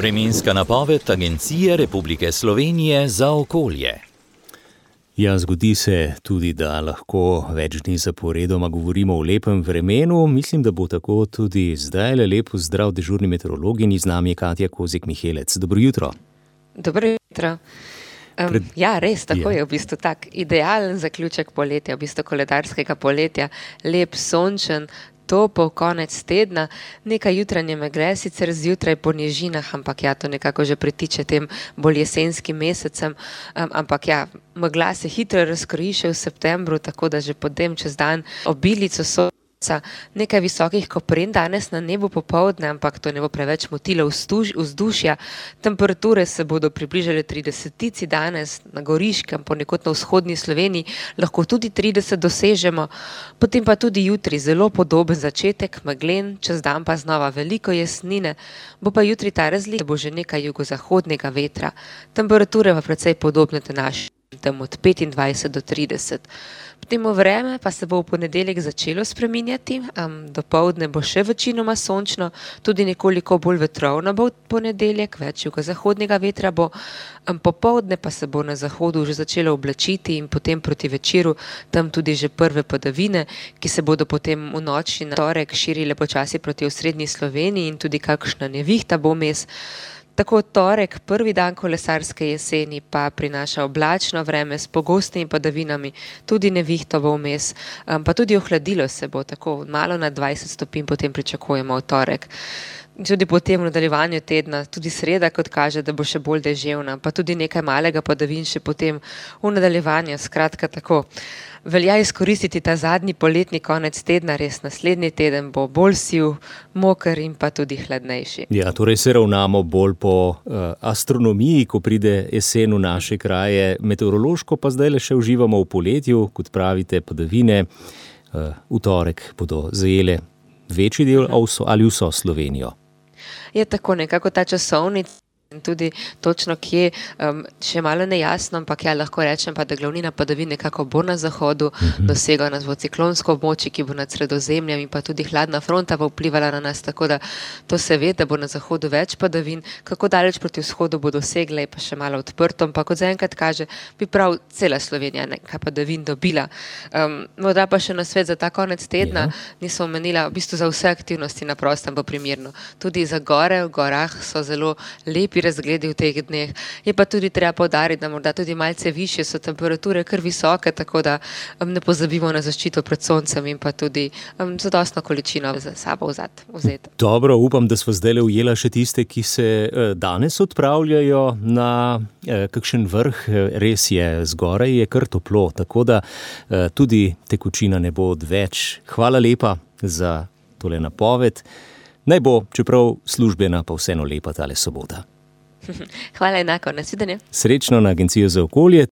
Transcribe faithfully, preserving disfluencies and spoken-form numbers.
Vremenska napoved Agencije Republike Slovenije za okolje. Ja, zgodi se tudi, da lahko več dni zaporedoma govorimo o lepem vremenu. Mislim, da bo tako tudi zdaj. Lepo zdrav dežurni meteorologinji, z nami je Katja Kozjek-Mihelec. Dobro jutro. Dobro jutro. Um, Pred... Ja, res, tako ja. je v bistvu tak idealen zaključek poletja, v bistvu koledarskega poletja. Lep, sončen, topel konec tedna, nekaj jutranje megle, sicer zjutraj po nižinah, ampak ja, to nekako že pritiče tem bolj jesenskim mesecem, um, ampak ja, megla se hitro razkroji še v septembru, tako da že potem čez dan obilico sonca, nekaj visokih kopren danes na nebu popoldne, ampak to ne bo preveč motilo vzdušja. Temperature se bodo približale tridesetici danes na Goriškem, ponekod na vzhodni Sloveniji, lahko tudi trideset dosežemo, potem pa tudi jutri zelo podoben začetek, meglen, čez dan pa znova veliko jesnine, bo pa jutri ta razlika, da bo že nekaj jugozahodnega vetra. Temperature pa precej podobne današnje, tam od petindvajset do trideset. Potem vreme pa se bo v ponedeljek začelo spreminjati, um, dopoldne bo še večinoma sončno, tudi nekoliko bolj vetrovno bo v ponedeljek, več jugozahodnega vetra bo, um, popoldne pa se bo na zahodu že začelo oblačiti in potem proti večeru tam tudi že prve padavine, ki se bodo potem v noči na torek širile počasi proti osrednji Sloveniji in tudi kakšna nevihta bo vmes. Tako torek, prvi dan kolesarske jeseni, pa prinaša oblačno vreme s pogostnimi padavinami, tudi nevihto bo vmes, um, pa tudi ohladilo se bo, tako malo nad dvajset stopinj potem pričakujemo v torek. Tudi potem v nadaljevanju tedna, tudi sreda, kot kaže, da bo še bolj deževna, pa tudi nekaj malega padavin še potem v nadaljevanju, skratka tako. Velja izkoristiti ta zadnji poletni konec tedna, res naslednji teden bo bolj siv, moker in pa tudi hladnejši. Ja, torej se ravnamo bolj po uh, astronomiji, ko pride jesen v naše kraje, meteorološko pa zdaj le še uživamo v poletju, kot pravite, padavine. Uh, v torek bodo zajele večji del uh-huh. ali vso Slovenijo. Je tako nekako ta časovnica. In tudi točno kje, um, še malo nejasno, ampak ja, lahko rečem pa, da glavnina padavin nekako bo na zahodu, mm-hmm. dosega nas bo ciklonsko območje, ki bo nad Sredozemljem in pa tudi hladna fronta bo vplivala na nas, tako da to se ve, da bo na zahodu več padavin, kako daleč proti vzhodu bo dosegle, je pa še malo odprto, ampak kot zaenkrat kaže, bi prav cela Slovenija nekaj padavin dobila. Um, morda pa še na svet za ta konec tedna, ja. nisem omenila, v bistvu za vse aktivnosti na prostem bo primerno. Tudi za gore, v gorah so zelo lepi razgledi v teh dneh. Je pa tudi treba poudariti, da morda tudi malce višje so temperature kar visoke, tako da um, ne pozabimo na zaščito pred soncem in pa tudi um, zadostno količino za sabo vzeti. Dobro, upam, da smo zdaj ujela še tiste, ki se uh, danes odpravljajo na uh, kakšen vrh. Res je, zgoraj je kar toplo, tako da uh, tudi tekočina ne bo odveč. Hvala lepa za tole napoved. Naj bo, čeprav službena, pa vseeno lepa tale sobota. Hvala enako, nasvidenje. Srečno na Agencijo za okolje.